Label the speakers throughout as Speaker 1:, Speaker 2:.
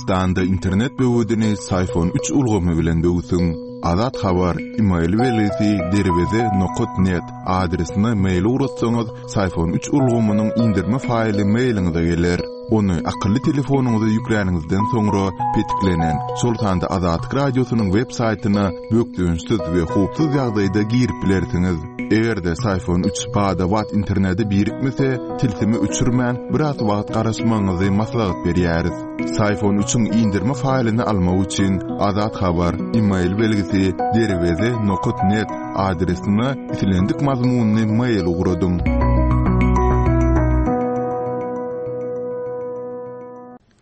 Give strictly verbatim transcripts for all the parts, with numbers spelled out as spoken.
Speaker 1: Türkmenistanda internet böwedini Syfon üç ulgamy bilen böwsüň. Azat Habar, email belgisi derweze nokat net adresine mail ugratsaňyz, Syfon üç ulgamynyň indirme faýly mailiňize geler. Ony akylly telefonyňyza ýükläniňizden soňra petiklenen, şol sanda Azatlyk Radiosynyň web saýtyna bökdençsiz we howpsuz ýagdaýda girip bilersiňiz. Eger-de Syfon üç bada-bat internete birikmese, tilsimi öçürmän, biraz wagt garaşmagyňyzy maslahat berýäris. Syfon üçiň indirme faýlyny almak üçin Azat Habar, email belgisi derweze nokat net adresine islendik mazmunyny mail ugradyň.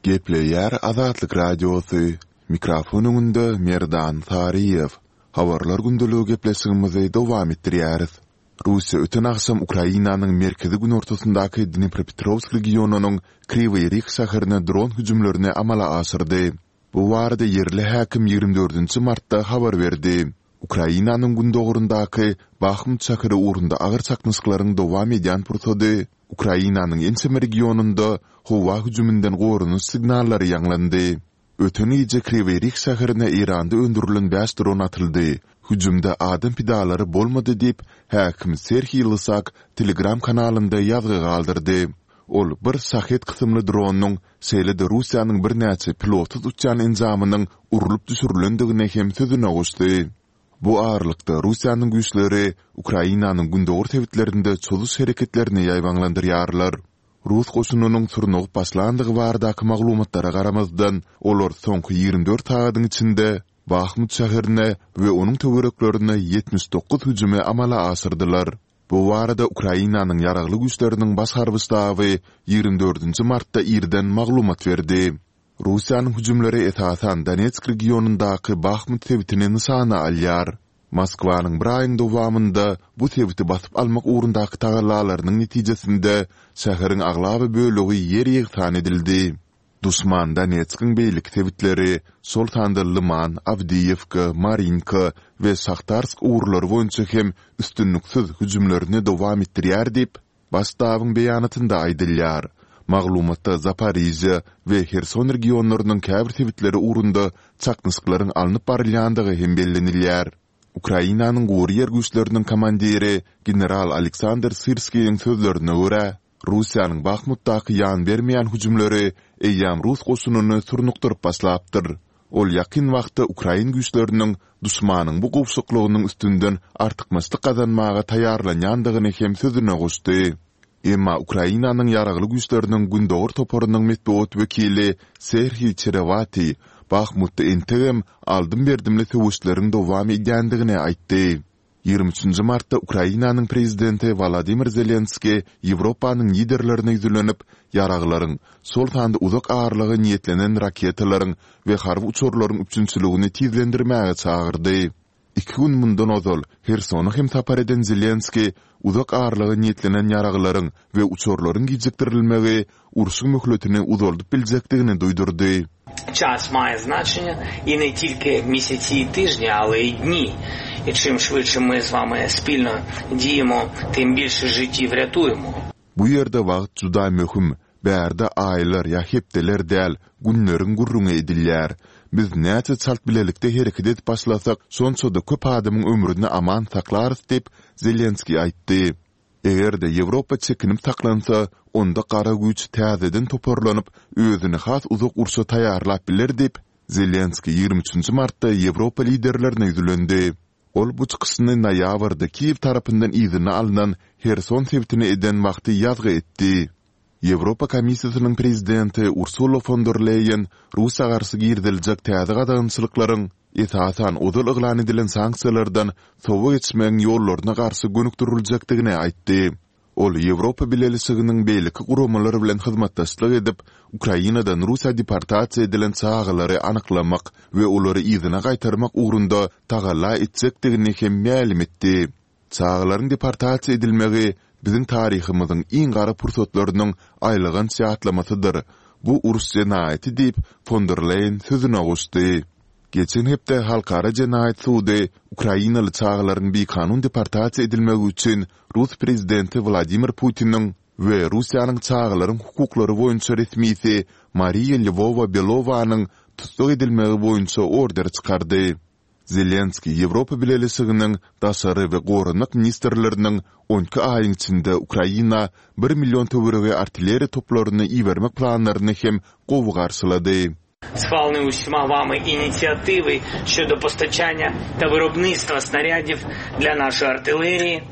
Speaker 1: Gepleýär Azatlyk Radiosy. Mikrofon öňünde Merdan Saryýew. Habarlar gündeligi gepleşigimizi dowam etdirýäris. Russiýa öten agşam Ukrainanyň merkezi günortasyndaky Dnipropetrovsk regionynyň Kriwiý Rih şäherine dron hüjümlerini amala aşyrdy. Bu barada ýerli häkim ýigrimi dördünji martda habar berdi. Ukrainanyň gündoguryndaky Bahmut şäheri ugrunda agyr çaknyşyklaryň dowam edýän pursady Ukrainanyň ençeme regionynda howa hüjüminden goranyş signallary ýaňlandy. Öten gije Kriwiý Rih şäherine Eýranda öndürilen bäş dron atyldy. Hüjümde adam pidalary bolmady diýip, häkim Serhiý Lysak Telegram kanalynda ýazgy galdyrdy. Ol bir Şahed kysymly dronyň, şeýle-de Russiýanyň birnäçe pilotsyz uçýan enjamynyň urlup düşürilendigini hem sözüne goşdy. Bu aralykda Russiýanyň güýçleri Ukrainanyň gündogar sebitlerinde çozuş hereketlerini ýaýbaňlandyrýarlar. Rus goşunynyň surnugyp başlandygy baradaky maglumatlara garamazdan, olar soňky ýigrimi dört sagadyň içinde Bahmut şäherine we onuň töwereklerine ýetmiş dokuz hüjümi amala aşyrdylar. Bu barada Ukrainanyň Ýaragly Güýçleriniň Baş harby ştaby ýigrimi dördünji martda irden maglumat berdi. Russiýanyň hüjümleri esasan Donetsk regionyndaky Bahmut sebitini nyşana alýar. Moskwanyň bir aýyň dowamynda bu sebiti basyp almak ugrundaky tagallalarynyň netijesinde şäheriň aglaba bölegi ýer-ýegsan edildi. Duşman Donetskiň beýleki sebitleri, şol sanda Lyman, Awdiýewka, Marinka we Şahtarsk ugurlary boýunça hem üstünliksiz hüjümlerini dowam etdirýär diýip, Baş ştabyň beýanatynda aýdylýar. Maglumatda Zaporižýa we Herson regionlarynyň käbir sebitleri ugrunda çaknyşyklaryň alnyp barylýandygy hem bellenilýär. Ukrainanyň Gury ýer güýçleriniň komandiri general Aleksandr Syrskiýiň sözlerine görä, Russiýanyň Bahmutdaky ýan bermeýän hüjümleri eýýäm rus goşunyny surnukdyryp başlapdyr. Ol ýakyn wagtda ukrain güýçleriniň duşmanyň bu gowşaklygynyň üstünden artykmaçlyk gazanmaga taýýarlanýandygyny hem sözüne goşdy. Emma Ukrainanyň Ýaragly Güýçleriniň Gündogar toparynyň metbugat wekili Serhiý Çerewatiý Bahmutda entegem aldym-berdimli söweşleriň dowam edýändigini aýtdy. Ýigrimi üçünji martda Ukrainanyň prezidenti Wolodymyr Zelenskiý Ýewropanyň liderlerine ýüzlenip, ýaraglaryň, şol sanda uzak aralyga niýetlenen raketalaryň we harby uçarlaryň üpjünçiligini tizlendirmäge çagyrdy. Iki gün mundan ozal Hersona hem sapar eden Zelenskiý uzak aralyga niýetlenen ýaraglaryň we uçarlaryň gijikdirilmegi urşuň möhletini uzaldyp biljekdigini duýdurdy.
Speaker 2: Ças maýe znaçenýe i ne tilki mesesi i tyžni, ale i dni. I çim şwytše my z wami spilno diýemo, tym bilşe žitiw rýatuýemo.
Speaker 1: Bu ýerde wagt juda möhüm, bärde aýlar ýa hepdeler däl, günleriň gürrüňi edilýär. Biz näçe çalt bilelikde hereket edip başlasak, şonça-da köp adamyň ömrüni aman saklarys diýip, Zelenskiý aýtdy. Eger-de Ýewropa çekinip saklansa, onda gara güýç täzeden toparlanyp, özüni has uzak urşa taýýarlap biler diýip, Zelenskiý ýigrimi üçünji martda Ýewropa liderlerine ýüzlendi. Ol bu çykyşyny noýabrda Kiýew tarapyndan yzyna alnan Herson sebitine eden wagty ýazgy etdi. Ýewropa Komissiýasynyň prezidenti Ursula fon der Leýen Russiýa garşy giriziljek täze gadagançylyklaryň, esasan, ozal yglan edilen sanksiýalardan sowa geçmegiň ýollaryna garşy gönükdiriljekdigini aýtdy. Ol Ýewropa Bileleşiginiň beýleki guramalar bilen hyzmatdaşlyk edip, Ukrainadan Russiýa deportasiýa edilen çagalary anyklamak we olary yzyna gaýtarmak ugrunda tagalla etjekdigini hem mälim etdi. Çagalaryň deportasiýa edilmegi biziň taryhymyzyň iň gara pursatlarynyň aýylganç ýatlamasydyr. Bu uruş jenaýaty diýip, fon der Leýen sözüne goşdy. Geçen hepde Halkara jenaýat sudy ukrainaly çagalaryň bikanun deportasiýa edilmegi üçin rus prezidenti Wladimir Putiniň we Russiýanyň çagalaryň hukuklary boýunça resmisi Mariýa Lwowa-Belowanyň tussag edilmegi boýunça order çykardy. Zelenskiý Ýewropa Bileleşiginiň daşary we goranmak ministrleriniň on iki aýyň içinde Ukraina bir million töweregi artilleriýa toplaryny ibermek planlaryny hem gowy garşylady.
Speaker 2: Схвалені усіма вами ініціативи щодо постачання та виробництва снарядів для нашої артилерії.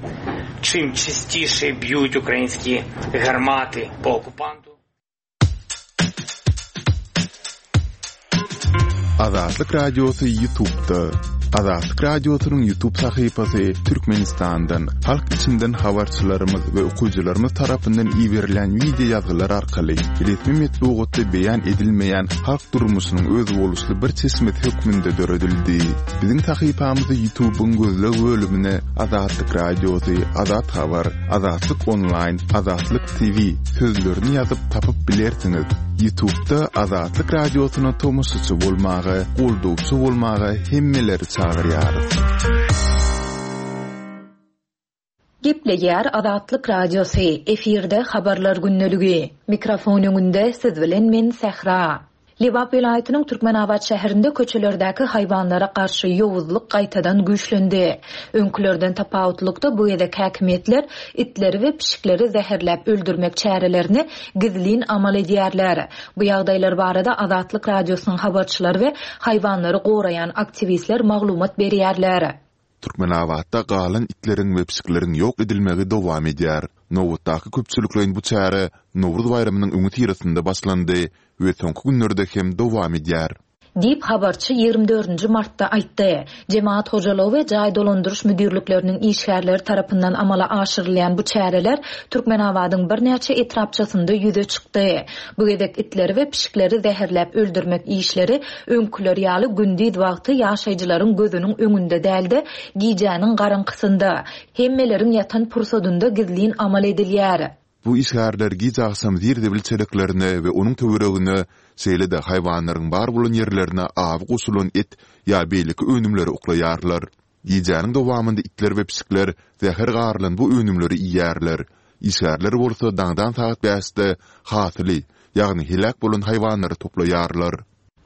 Speaker 2: Чим частіше б'ють українські гармати по окупанту.
Speaker 1: Azatlyk Radiosy YouTube'da. Azatlyk Radiosynyň YouTube sahypasy Türkmenistandan, halk içinden habarçylarymyz we okyjylarymyz tarapyndan iberilen wideo ýazgylar arkaly resmi metbugatda beýan edilmeýän halk durmuşynyň özboluşly bir çeşmesi hökmünde döredildi. Biziň sahypamyzy YouTube'yň gözleg bölümine Azatlyk Radiosy, Azat Habar, Azatlyk Online, Azatlyk T V sözlerini ýazyp tapyp bilersiňiz. YouTube'da Azatlyk Radiosyna tomaşaçy bolmaga, goldawçy bolmaga hemmeleri çagyrýarys.
Speaker 3: Gepleýär Azatlyk Radiosy, efirde habarlar gündeligi. Mikrofon öňünde siz bilen men Sähra. Lebap welaýatynyň Türkmenabat şäherinde köçelerdäki haýwanlara garşy ýowuzlyk gaýtadan güýçlendi. Öňkülerden tapawutlykda bu gezek häkimiýetler itleri we pişikleri zäherläp öldürmek çärelerini gizlin amal edýärler. Bu ýagdaýlar barada Azatlyk Radiosynyň habarçylary we haýwanlary goraýan aktiwistler maglumat berýärler.
Speaker 1: Türkmenabatda galan itleriň we pişikleriň ýok edilmegi dowam edýär. Nobatdaky köpçülikleýin bu çäre Nowruz baýramynyň öňi syrasynda başlandy we soňky günlerde hem dowam edýär.
Speaker 3: Diýip habarçy ýigrimi dördünji martda aýtdy. Jemaat hojalygy we jaý dolandyryş müdirlikleriniň işgärleri tarapyndan amala aşyrylýan bu çäreler Türkmenabadyň birnäçe etrapçasynda ýüze çykdy. Bu gezek itleri we pişikleri zäherläp öldürmek işleri öňküler ýaly gündiz wagty ýaşaýjylaryň gözüniň öňünde däldi, gijäniň garaňkysynda, hemmeleriň ýatan pursadynda gizlin amal edilýär.
Speaker 1: Bu işgärler gije agşam zir-zibil çeleklerine we onuň töweregine, şeýle-de haýwanlaryň bar bolan ýerlerine awy goşulan et ýa beýleki önümleri oklaýarlar. Gijäniň dowamynda itler we pişikler zäher garylan bu önümleri iýýärler. Işgärler bolsa daňdan sagat bäşde hasyly, ýagny heläk bolan haýwanlary toplaýarlar.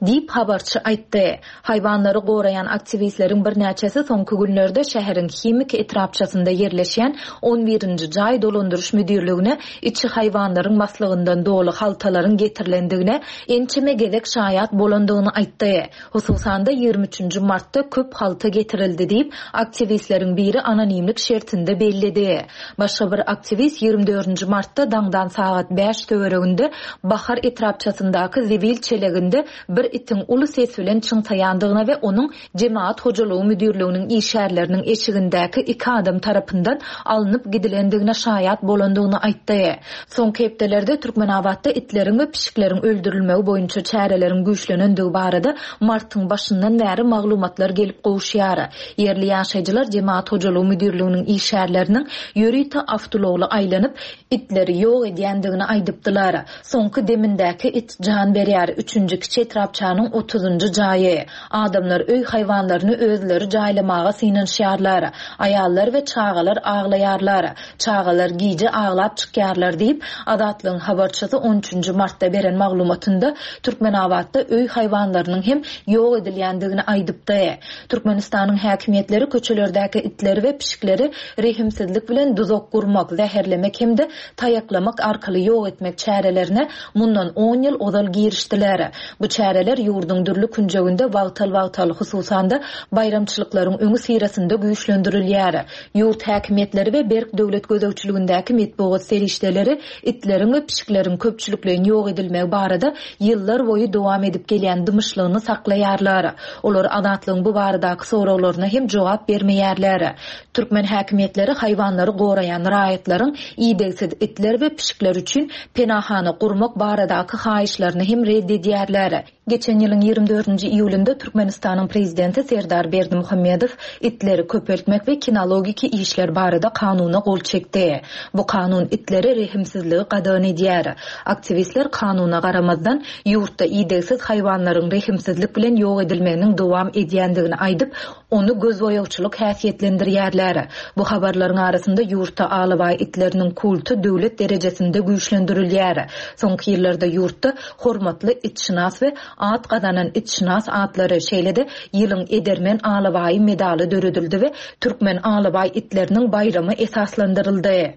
Speaker 3: Diýip habarçy aýtdy. Haýwanlary goraýan aktiwistleriň birnäçesi soňky günlerde şäheriň himik etrapçasynda ýerleşýän on birinji jaý dolandyryş müdirligine içi haýwanlaryň maslygyndan doly haltalaryň getirilendigine ençeme gezek şaýat bolandygyny aýtdy. Hususan-da ýigrimi üçünji martda köp halta getirildi diýip aktiwistleriň biri anonimlik şertinde belledi. Başga bir aktiwist ýigrimi dördünji martda daňdan sagat bäş töwereginde Bahar etrapçasyndaky zibil çeleginde bir itiň uly ses bilen çyňsaýandygyna we onuň Jemaat hojalygy müdirliginiň işgärleriniň eşigindäki iki adam tarapyndan alnyp gidilendigine şaýat bolandygyny aýtdy. Soňky hepdelerde Türkmenabatda itleriň we pişikleriň öldürilmegi boýunça çäreleriň güýçlenendigi barada martyň başyndan bäri maglumatlar gelip gowuşýar. Ýerli ýaşaýjylar Jemaat hojalygy müdirliginiň işgärleriniň ýörite awtoulagly aýlanyp itleri ýok edýändigini aýdypdylar. Soňky demindäki it jan berýär. Üçünji kiçi etrapçanyň otuzunjy jaýy. Adamlar öý haýwanlaryny özleri jaýlamaga synanyşýarlar. Aýallar we çagalar aglaýarlar. Çagalar gije aglap çykýarlar diýip Azatlygyň habarçysy on üçünji martda beren maglumatynda Türkmenabatda öý haýwanlarynyň hem ýok edilýändigini aýdypdy. Türkmenistanyň häkimiýetleri köçelerdäki itleri we pişikleri rehimsizlik bilen duzak gurmak, zäherlemek hem-de taýaklamak arkaly ýok etmek çärelerine mundan on ýyl ozal girişdiler. Bu çäreler ýurduň dürli künjeginde wagtal-wagtal, hususan-da baýramçylyklaryň öňi syrasynda güýçlendirilýär. Ýurt häkimiýetleri we berk döwlet gözegçiligindäki metbugat serişdeleri itleriň we pişikleriň köpçülikleýin ýok edilmegi barada ýyllar boýy dowam edip gelýän dymyşlygyny saklaýarlar. Olar Azatlygyň bu baradaky soraglaryna hem jogap bermeýärler. Türkmen häkimiýetleri haýwanlary goraýan raýatlaryň idegsiz itler we pişikler üçin penahana gurmak baradaky haýyşlaryny hem red edýärler. Geçen ýylyň ýigrimi dördünji iýulynda Türkmenistanyň prezidenti Serdar Berdimuhamedow itleri köpeltmek we kinologiki işler barada kanuna gol çekdi. Bu kanun itlere rehimsizligi gadagan edýär. Aktiwistler kanuna garamazdan ýurtda idegsiz haýwanlaryň rehimsizlik bilen ýok edilmeginiň dowam edýändigini aýdyp, ony gözboýagçylyk häsiýetlendirýärler. Bu habarlaryň arasynda ýurtda alabaý itleriniň kulty döwlet derejesinde güýçlendirilýär. Soňky ýyllarda ýurtda hormatly itşynas we at gazanan itşynas atlary, şeýle-de ýylyň edermen alabaýy medaly döredildi we türkmen alabaý itleriniň baýramy esaslandyryldy.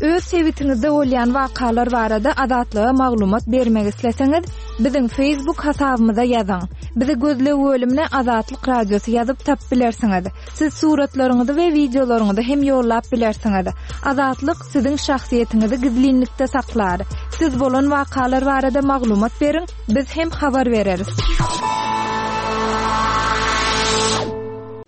Speaker 4: Öz sebitiňizde bolýan wakalar barada Azatlyga maglumat bermek isleseňiz, biziň Facebook hasabymyza ýazyň. Bizi gözleg bölümine Azatlyk Radiosy ýazyp tapyp bilersiňiz. Siz suratlaryňyzy we wideolaryňyzy hem ýollap bilersiňiz. Azatlyk siziň şahsyýetiňizi gizlinlikde saklar. Siz bolan wakalar barada maglumat beriň, biz hem habar bereris.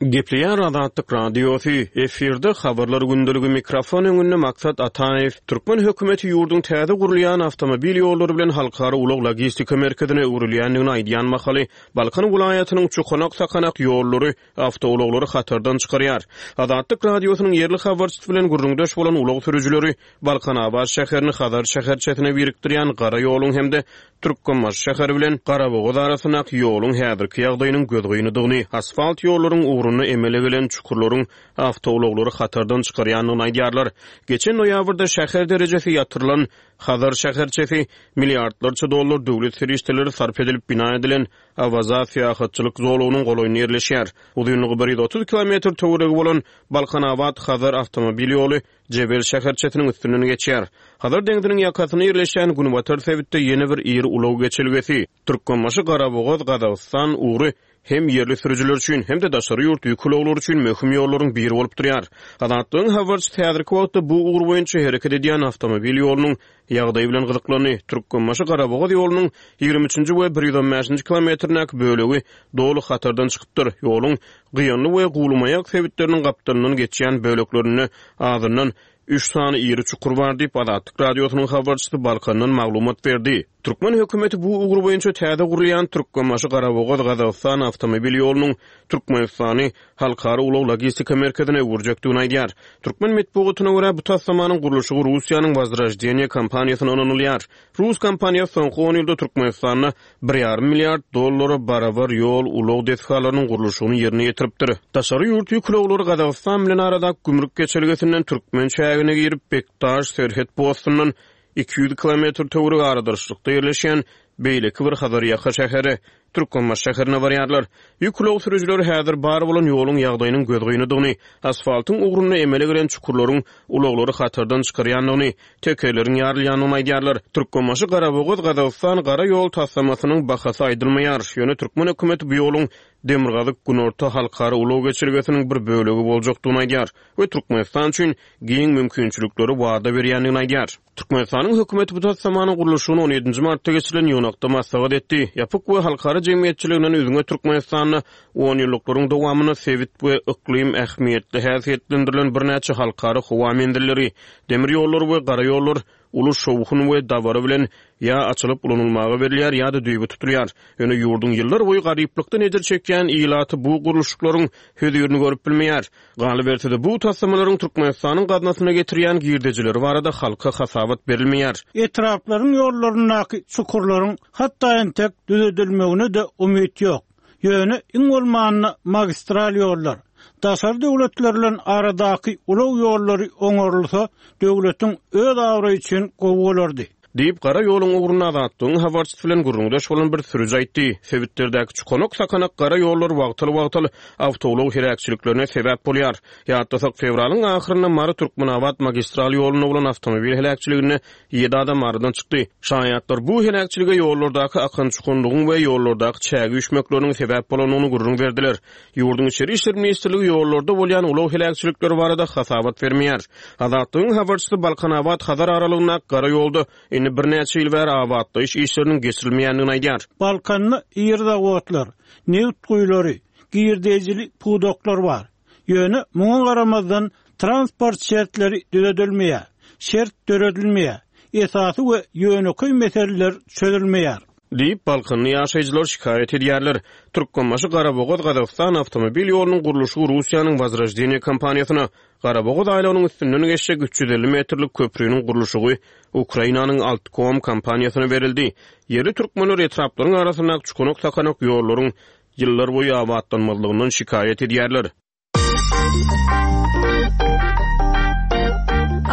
Speaker 5: Gepleýär Azatlyk Radiosy, efirde habarlar gündeligi mikrofon öňünde Maksat Ataýew. Türkmen hökümeti ýurduň täze gurulýan awtomobil ýollary bilen halkara ulag logistika merkezine öwrülýändigini aýdýan mahaly Balkan welaýatynyň çukanak-sakanak ýollary awtoulaglary hatardan çykarýar. Azatlyk Radiosynyň ýerli habarçysy bilen gürrüňdeş bolan ulag sürüjileri Balkanabat şäherini Hazar şäherçesine birikdirýän gara ýoluň hem-de Türkmenbaşy şäheri bilen Garabogaz arasyndaky ýoluň häzirki ýagdaýynyň gözgynydygyny, asfalt ýollaryň ugrunda emele gelen çukurlaryň awtoulaglary hatardan çykarýandygyny aýdýarlar. Geçen noýabrda şäher derejesi ýatyrylan Hazar şäherçesi milliardlarça dollar döwlet serişdeleri sarp edilip bina edilen Awaza syýahatçylyk zolagynyň golaýynda ýerleşýär. Uzynlygy bir ýüz otuz kilometr töweregi bolan Balkanabat Hazar awtomobil ýoly Jebel şäherçesiniň üstünden geçýär. Hazar deňziniň ýakasynda ýerleşen Günbatar sebitde ýene bir iri ulag geçelgesi Türkmenbaşy Garabogaz Gazagystan ugry hem ýerli sürüjiler üçin hem-de daşary ýurt ýük ulaglary üçin möhüm ýollaryň biri bolup durýar. Azatlygyň habarçysy häzirki wagtda bu ugur boýunça hereket edýän awtomobil ýolunyň ýagdaýy bilen gyzyklandy. Türkmenbaşy Garabogaz ýolunyň ýigrimi üçünji we bir ýüz on bäşinji kilometrindäki bölegi doly hatardan çykypdyr. Ýoluň Gyýanly we Gulumaýak sebitleriniň gapdalyndan geçýän böleklerinde azyndan üç sany iri çukur bar diýip Azatlyk Radiosynyň habarçysy Balkandan maglumat berdi. Türkmen hökümeti bu ugur boýunça täze gurulýan Türkmenbaşy Garabogaz Gazagystan awtomobil ýolunyň Türkmenistany halkara ulag logistika merkezine öwürjekdigini aýdýar. Türkmen metbugatyna görä bu taslamanyň gurluşygy Russiýanyň Wozroždeniýe kompaniýasyna ynanylýar. Rus kompaniýasy soňky on ýylda Türkmenistanda bir ýarym milliard dollara barabar ýol ulag desgalarynyň gurluşygyny ýerine ýetiripdir. Daşary ýurt ýük ulaglary Gazagystan bilen aradaky gümrük geçelgesinden türkmen çägine girip Bekdaş serhet postundan iki ýüz kilometr töweregi aradarçylykda ýerleşen beýleki bir Hazar ýaka şäheri Türkmenbaşy şäherine barýarlar. Ýük ulag sürüjileri häzir bar bolan ýoluň ýagdaýynyň gözgynydygyny, asfaltyň ugrunda emele gelen çukurlaryň ulaglary hatardan çykarýandygyny, tekerleriň ýarylýandygyny aýdýarlar. Türkmenbaşy Garabogaz Gazagystan gara ýol taslamasynyň bahasy aýdylmaýar. Ýöne türkmen hökümeti bu ýoluň Demirgazyk Günorta halkara ulag geçelgesiniň bir bölegi boljakdygyny aýdýar we Türkmenistan üçin giň mümkinçilikleri wada berýändigini aýdýar. Türkmenistanyň hökümeti bu taslamanyň gurluşygyny on ýedinji martda geçirilen ýygnakda maslahat etdi. Ýapyk we halkara jemgyýetçiliginden üzňe Türkmenistanda on ýyllyklaryň dowamynda sebit we yklym ähmiýetli häsiýetlendirilen birnäçe halkara howa menzilleri, demir ýollary we gara ýollar uly şowhun we dabara bilen ýa açylyp ulanylmaga berilýär ýa-da düýbi tutulýar. Ýöne ýurduň ýyllar boýy garyplykdan ejir çekýän ilaty bu gurluşyklaryň hözirini görüp bilmeýär. Galyberse-de bu taslamalaryň Türkmenistanyň gaznasyna getirýän girdejileri barada halka hasabat berilmeýär.
Speaker 6: Etraplaryň ýollaryndaky çukurlaryň hatda entek düzedilmegine de umyt ýok. Ýöne iň bolmanda magistral ýollar, daşary döwletler bilen aradaky ulag ýollary oňarylsa, döwletiň öz awraýy üçin gowy bolardy.
Speaker 5: Diýip, gara ýoluň ugrunda Azatlygyň habarçysy bilen gürrüňdeş bolan bir sürüji aýtdy. Sebitlerdäki çukanak-sakanak gara ýollar wagtal-wagtal awtoulag heläkçiliklerine sebäp bolýar. Ýatlasak, fewralyň ahyrynda Mary Türkmenabat magistral ýolunda bolan awtomobil heläkçiliginde ýedi adam aradan çykdy. Şaýatlar bu heläkçilige ýollardaky akan çukanlygyň we ýollardaky çägi üýşmekleriniň sebäp bolandygyny gürrüň berdiler. Ýurduň Içeri İşler Ministrligi ýollarda bolýan ulag heläkçilikleri barada hasabat bermeýär. Azatlygyň habarçysy Balkanabat Hazar aralygyndaky gara ýolda indi birnäçe ýyl bäri abatlaýyş işleriniň geçirilmeýändigini aýdýar.
Speaker 6: Balkanda iri zawodlar, neft guýulary, girdejili pudaklar bar. Ýöne muňa garamazdan transport şertleri düzedilmeýär. şert döredilmeýär. Esasy we ýönekeý meseleler çözülmeýär.
Speaker 5: Diýip, Balkanly ýaşaýjylar şikaýat edýärler. Türkmenbaşy Garabogaz Gazagystan awtomobil ýolunyň gurluşygy Russiýanyň Wozroždeniýe kompaniýasyna, Garabogaz aýlagynyň üstünden geçjek üç ýüz elli metrlik köprüniň gurluşygy Ukrainanyň Altkom kompaniýasyna berildi. Ýerli türkmenler etraplaryň arasyndaky çukanak-sakanak ýollaryň ýyllar boýy abatlanmazlygyndan şikaýat edýärler.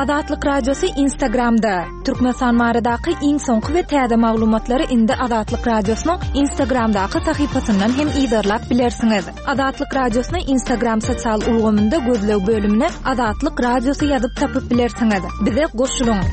Speaker 4: Azatlyk Radiosy Instagramda. Türkmenistan baradaky iň soňky we täze maglumatlary indi Azatlyk Radiosynyň Instagramdaky sahypasyndan hem yzarlap bilersiňiz. Azatlyk Radiosyny Instagram sosial ulgamynda gözleg bölümine Azatlyk Radiosy ýazyp tapyp bilersiňiz. Bize goşulyň.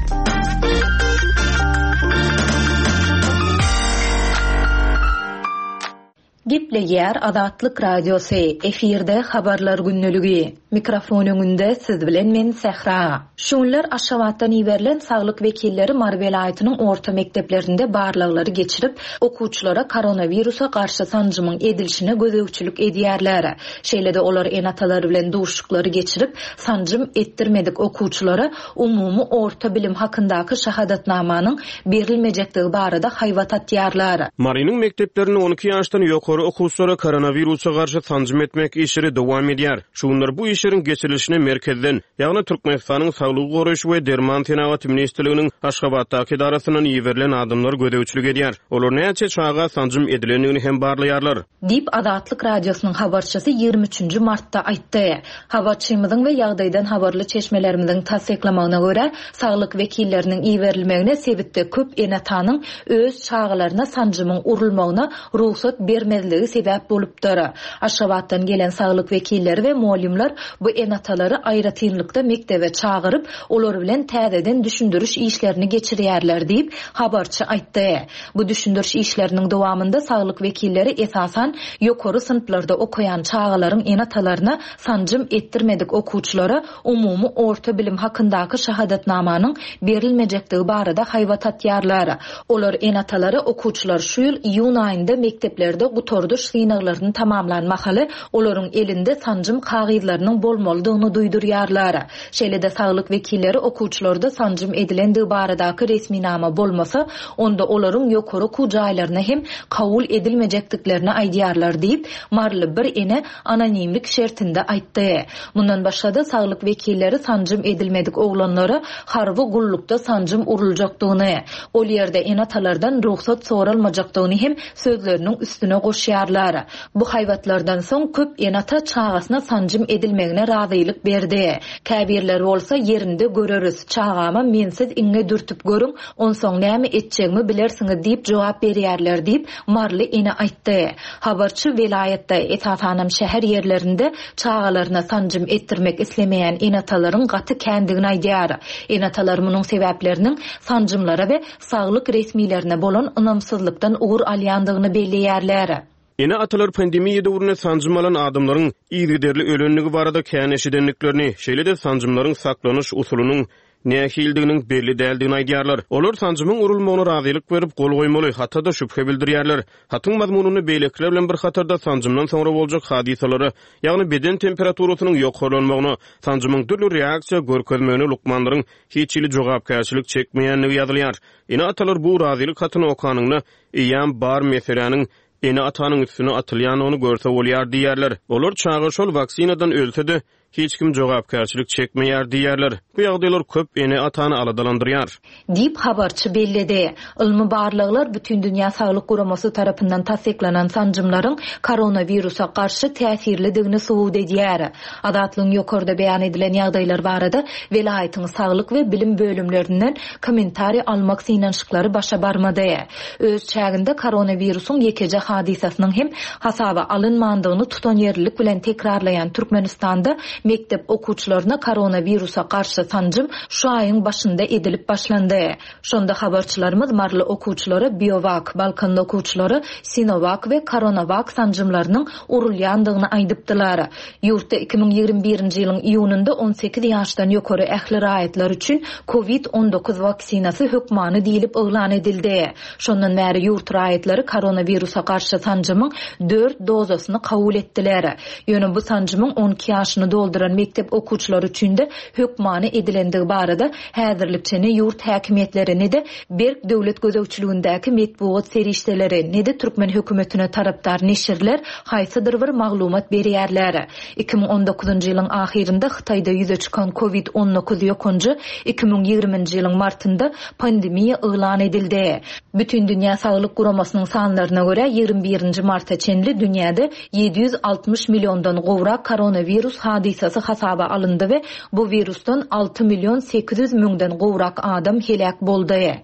Speaker 3: Gepleýär Azatlyk Radiosy, efirde habarlar gündeligi. Mikrofon öňünde siz bilen men Sähra. Şu günler Aşgabatdan iberilen saglyk wekilleri Mary welaýatynyň orta mekdeplerinde barlaglary geçirip, okuwçylara koronawirusa garşy sanjymyň edilişine gözegçilik edýärler. Şeýle-de olar ene-atalar bilen duşuşyklary geçirip, sanjym etdirmedik okuwçylara umumy orta bilim hakyndaky şahadatnamanyň berilmejekdigi barada haýbat atýarlar.
Speaker 5: Marynyň mekdeplerinde on iki ýaşdan ýokary okuwçylara koronawirusa garşy sanjym etmek işleri dowam edýär. Şu günler bu işleriň geçirilişine merkezden, ýagny Türkmenistanyň Saglygy goraýyş we derman senagaty ministrliginiň Aşgabatdaky edarasyndan iberilen adamlar gözegçilik edýär. Olar näçe çaga sanjym edilendigini hem barlaýarlar.
Speaker 3: Diýip Azatlyk Radiosynyň habarçysy ýigrimi üçünji martda aýtdy. Habarçymyzyň we ýagdaýdan habarly çeşmelerimiziň tassyklamagyna görä, saglyk wekilleriniň iberilmegine sebitde köp ene-atanyň öz çagalaryna sanjymyň urulmagyna rugsat bermezligi sebäp bolupdyr. Aşgabatdan gelen saglyk wekilleri we mugallymlar bu ene-atalary aýratynlykda mekdebe çagyryp, olar bilen täzeden düşündiriş işlerini geçirýärler diýip habarçy aýtdy. Bu düşündiriş işleriniň dowamynda saglyk wekilleri esasan ýokary synplarda okaýan çagalaryň ene-atalaryna sanjym etdirmedik okuwçylara umumy orta bilim hakyndaky şahadatnamanyň berilmejekdigi barada haýbat atýarlar. Olar ene-atalary okuwçylar şu ýyl iýun aýynda mekdeplerde gutardyş synaglaryny tamamlan mahaly olaryň elinde sanjym kagyzlarynyň bolmalydygyny duýdurýarlar. Şeýle-de saglyk wekilleri okuwçylarda sanjym edilendigi baradaky resminama bolmasa, onda olaryň ýokary okuw jaýlaryna hem kabul edilmejekdiklerini aýdýarlar diýip, Maryly bir ene anonimlik şertinde aýtdy. Mundan başga-da saglyk wekilleri sanjym edilmedik oglanlara harby gullukda sanjym uruljakdygyny, ol ýerde ene-atalardan rugsat soralmajakdygyny hem sözleriniň üstüne goşýarlar. Bu haýbatlardan soň köp ene-ata çagasyna sanjym edilmegine razylyk berdi. Käbirler bolsa ýerinde göreris, çagama mensiz iňňe dürtüp görüň, onsoň näme etjegimi bilersiňiz diýip jogap berýärler diýip Maryly ene aýtdy. Habarçy welaýatda, esasanam şäher ýerlerinde çagalaryna sanjym etdirmek islemeýän ene-atalaryň gaty kändigini aýdýar. Ene-atalar munuň sebäpleriniň sanjymlara we saglyk resmilerine bolan ynamsyzlykdan ugur alýandygyny belleýärler.
Speaker 5: Ene-atalar pandemiýa döwründe sanjym alan adamlaryň yzygiderli ölenligi barada kän eşidendiklerini, şeýle-de sanjymlaryň saklanyş usulynyň nähildiginiň belli däldigini aýdýarlar. Olar sanjymyň urulmagyna razylyk berip gol goýmaly, hatda şübhe bildirýärler. Hatyň mazmunyny beýlekiler bilen bir hatarda sanjymdan soňra boljak hadysalara, ýagny beden temperaturasynyň ýokarlanmagyna, sanjymyň dürli reaksiýa görkezmegine lukmanlaryň hiç hili jogapkärçilik çekmeýändigi ýazylýar. Ene-atalar bu razylyk hatyny okanynda eýýäm bar meseläniň ene-atanyň üstüne atylýandygyny görse bolýar diýýärler. Olar çaga şol waksinadan ölse-de hiç kim jogapkärçilik çekmeýär diýýärler. Bu ýagdaýlar köp ene-atany aladalandyrýar.
Speaker 3: Diýip habarçy belledi. Ylmy barlaglar Bütün Dünýä Saglyk Guramasy tarapyndan tassyklanan sanjymlaryň koronawirusa garşy täsirlidigini subut edýär. Azatlygyň ýokarda beýan edilen ýagdaýlar barada welaýatyň saglyk we bilim bölümlerinden kommentariý almak synanyşyklary başa barmady. Öz çäginde koronawirusyň ýekeje hadysasynyň hem hasaba alynmandygyny tutan ýerlilik bilen tekrarlaýan Türkmenistanda mektep okuwçylaryna koronawirusa garşy sanjym şu aýyň başynda edilip başlandy. Şonda habarçylarymyz Maryly okuwçylara Biowak, Balkanly okuwçylara Sinovac we Coronavac sanjymlarynyň urulýandygyny aýdypdylar. Ýurtda iki müň ýigrimi birinji ýylyň iýunynda on sekiz ýaşdan ýokary ähli raýatlar üçin kovid on dokuz waksinasy hökmany diýilip yglan edildi. Şondan bäri ýurt raýatlary koronawirusa garşy sanjymyň dört dozasyny kabul etdiler. Ýöne bu sanjymyň on iki ýaşyny dolduran mekdep okuwçylary üçin-de hökmany edilendigi barada häzirlikçe ne ýurt häkimiýetleri, ne-de berk döwlet gözegçiligindäki metbugat serişdeleri, ne-de türkmen hökümetine tarapdar neşirler haýsydyr bir maglumat berýärler. Iki müň on dokuzynjy ýylyň ahyrynda Hytaýda ýüze çykan Covid on dokuz ýokanjy iki müň ýigriminji ýylyň martynda pandemiýa yglan edildi. Bütindünýä Saglyk Guramasynyň sanlaryna görä, ýigrimi birinji marta çenli dünýäde ýedi ýüz altmyş milliondan gowrak koronawirus hadysasy hasaba alyndy we bu wirusdan alty million sekiz ýüz müňden gowrak adam heläk boldy.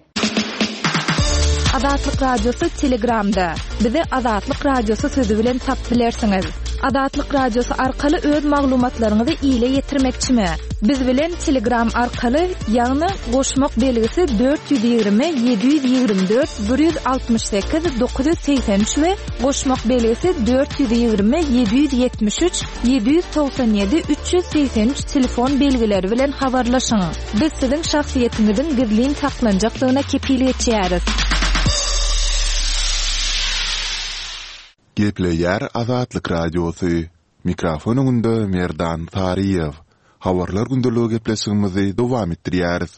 Speaker 4: Azatlyk Radiosy Telegramda. Bizi Azatlyk Radiosy sözi bilen tapyp bilersiňiz. Azatlyk Radiosy arkaly öz maglumatlaryňyzy ile ýetirmekçimi? Biz bilen Telegram arkaly, ýagny goşmak belgisi dört ýüz ýigrimi, ýedi ýüz ýigrimi dört, bir ýüz altmyş sekiz, dokuz ýüz segsen üç we goşmak belgisi dört ýüz ýigrimi, ýedi ýüz ýetmiş üç, ýedi ýüz togsan ýedi, üç ýüz segsen üç telefon belgileri bilen habarlaşyň. Biz siziň şahsyýetiňiziň gizlin saklanjakdygyna kepil geçýäris.
Speaker 1: Gepleýär Azatlyk Radiosy. Mikrofon öňünde Merdan Saryýew. Habarlar gündeligi gepleşigimizi dowam etdirýäris.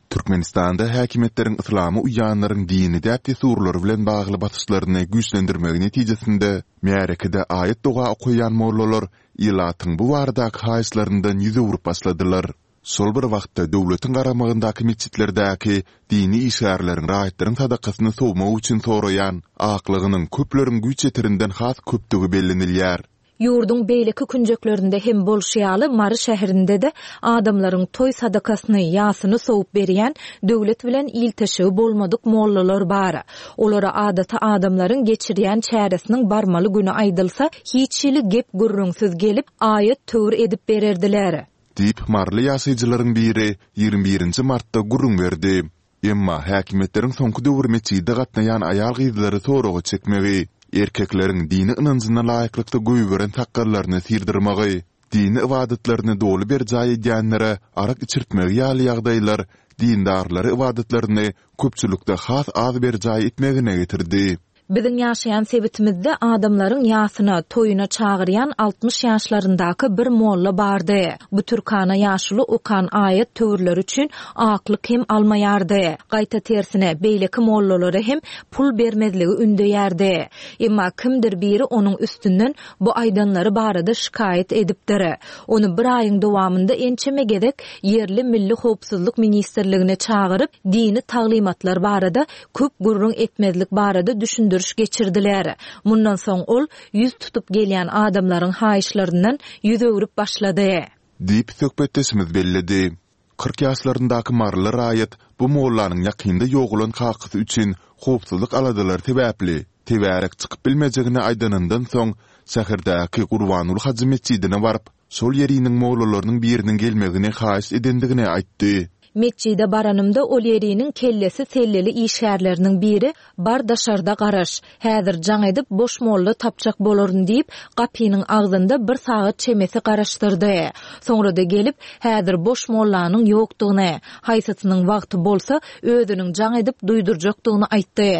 Speaker 1: Türkmenistanda häkimiýetleriň yslama uýýanlaryň dini däp-dessurlary bilen bagly basyşlaryny güýçlendirmegi netijesinde märekede aýat-doga okaýan mollalar ilatyň bu baradaky haýyşlaryndan ýüz öwrüp başladylar. Şol bir wagtda döwletiň garamagyndaky metjitlerdäki dini işgärleriň raýatlaryň sadakasyny sowmak üçin soraýan aklygynyň köpleriň güýç ýetirinden has köpdügi bellenilýär.
Speaker 3: Ýurduň beýleki künjeklerinde hem bolşy ýaly Mary şäherinde-de adamlaryň toý sadakasyny, ýasyny sowup berýän döwlet bilen ilteşigi bolmadyk mollalar bar. Olara adaty adamlaryň geçirýän çäresiniň barmaly güni aýdylsa, hiç hili gep gürrüňsiz gelip, aýat töwir edip bererdiler.
Speaker 1: Diýip, maryly ýaşaýjylaryň biri ýigrimi birinji martda gürrüň berdi. Emma häkimiýetleriň soňky döwür metjide gatnaýan aýal-gyzlary soraga çekmegi, erkekleriň dini ynanjyna laýyklykda goýberen sakgallaryny syrdyrmagy, dini ybadatlaryny doly berjaý edýänlere arak içirtmegi ýaly ýagdaýlar dindarlary ybadatlaryny köpçülikde has az berjaý etmegine getirdi.
Speaker 3: Biziň ýaşaýan sebitimizde adamlaryň ýasyna, toýuna çagyrýan altmyş ýaşlaryndaky bir molla bardy. Bu türkana ýaşuly okan aýat töwirleri üçin aklyk hem almaýardy. Gaýta tersine, beýleki mollalara hem pul bermezligi ündeýärdi. Emma kimdir biri onuň üstünden bu aýdanlary barada şikaýat edipdir. Ony bir aýyň dowamynda ençeme gezek ýerli Milli Howpsuzlyk Ministrligine çagyryp, dini taglymatlar barada köp gürrüň etmezlik barada düşündiriş geçirdiler. Mundan soň ol ýüz tutup gelýän adamlaryň haýyşlaryndan ýüz öwrüp başlady.
Speaker 1: Diýip söhbetdeşimiz belledi. Kyrk ýaşlaryndaky maryly raýat bu mollanyň ýakynda ýogalan kakasy üçin howpsuzlyk aladalary sebäpli tebärek çykyp bilmejegini aýdanyndan soň şäherdäki Gurbanguly hajy metjidine baryp, şol ýeriniň mollalarynyň biriniň gelmegini haýyş edendigini aýtdy.
Speaker 3: Metjide baranymda ol ýeriniň kellesi selleli işgärleriniň biri bar daşarda garaş, häzir jaň edip boş molla tapjak bolaryn diýip, gapynyň agzynda bir sagat çemesi garaşdyrdy. Soňra da gelip, häzir boş mollanyň ýokdugyny, haýsysynyň wagty bolsa özüniň jaň edip duýdurjakdygyny aýtdy.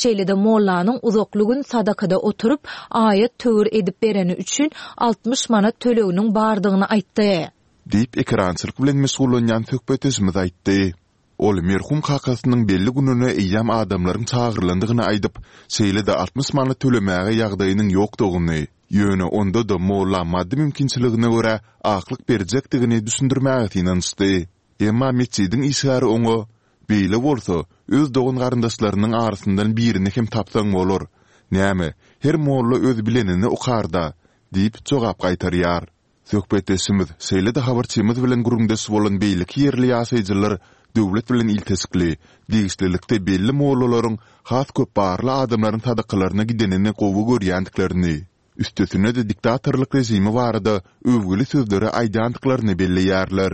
Speaker 3: Şeýle-de mollanyň uzakly gün sadakada oturyp, aýat töwir edip bereni üçin altmyş manat töleginiň bardygyny aýtdy.
Speaker 1: Diýip, ekerançylyk bilen meşgullanýan söhbetdeşimiz aýtdy. Ol merhum kakasynyň belli gününe eýýäm adamlaryň çagyrylandygyny aýdyp, şeýle-de altmyş manat tölemäge ýagdaýynyň ýokdugyny, ýöne onda-da molla maddy mümkinçiligine görä aklyk berjekdigini düşündirmäge synanyşdy. Emma metjidiň işgäri oňa, Beýle bolsa, öz dogan-garyndaşlarynyň arasyndan birini hem tapsaň bolar. Näme, her molla öz bilenini okar-da, diýip jogap gaýtarýar. Söhbetdeşimiz, şeýle-de habarçymyz bilen gürrüňdeş bolan beýleki ýerli ýaşaýjylar döwlet bilen ilteşikli, degişlilikde belli mollalaryň has köp barly adamlaryň sadakalaryna gidenini gowy görýändiklerini, üstesine-de diktatorlyk režimi barada öwgüli sözleri aýdýandyklaryny belleýärler.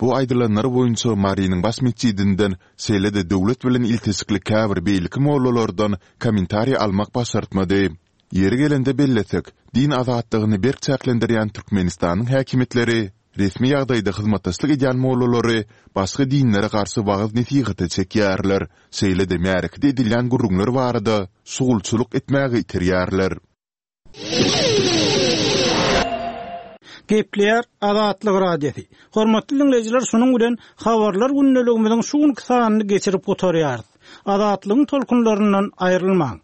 Speaker 1: Bu aýdylanlar boýunça Marynyň baş metjidinden, şeýle-de döwlet bilen ilteşikli käbir beýleki mollalardan kommentariý almak başartmady. Ýeri gelende bellesek, din azatlygyny berk çäklendirýän Türkmenistanyň häkimiýetleri resmi ýagdaýda hyzmatdaşlyk edýän mollalary başga dinlere garşy wagyz-nesihata çekýärler, şeýle-de märekede edilýän gürrüňler barada şugulçylyk etmäge iterýärler.
Speaker 6: Gepleýär Azatlyk Radiosy. Hormatly diňleýjiler, şunuň bilen habarlar gündeligimiziň şu günki sanyny geçirip gutarýarys. Azatlygyň tolkunlaryndan aýrylmaň.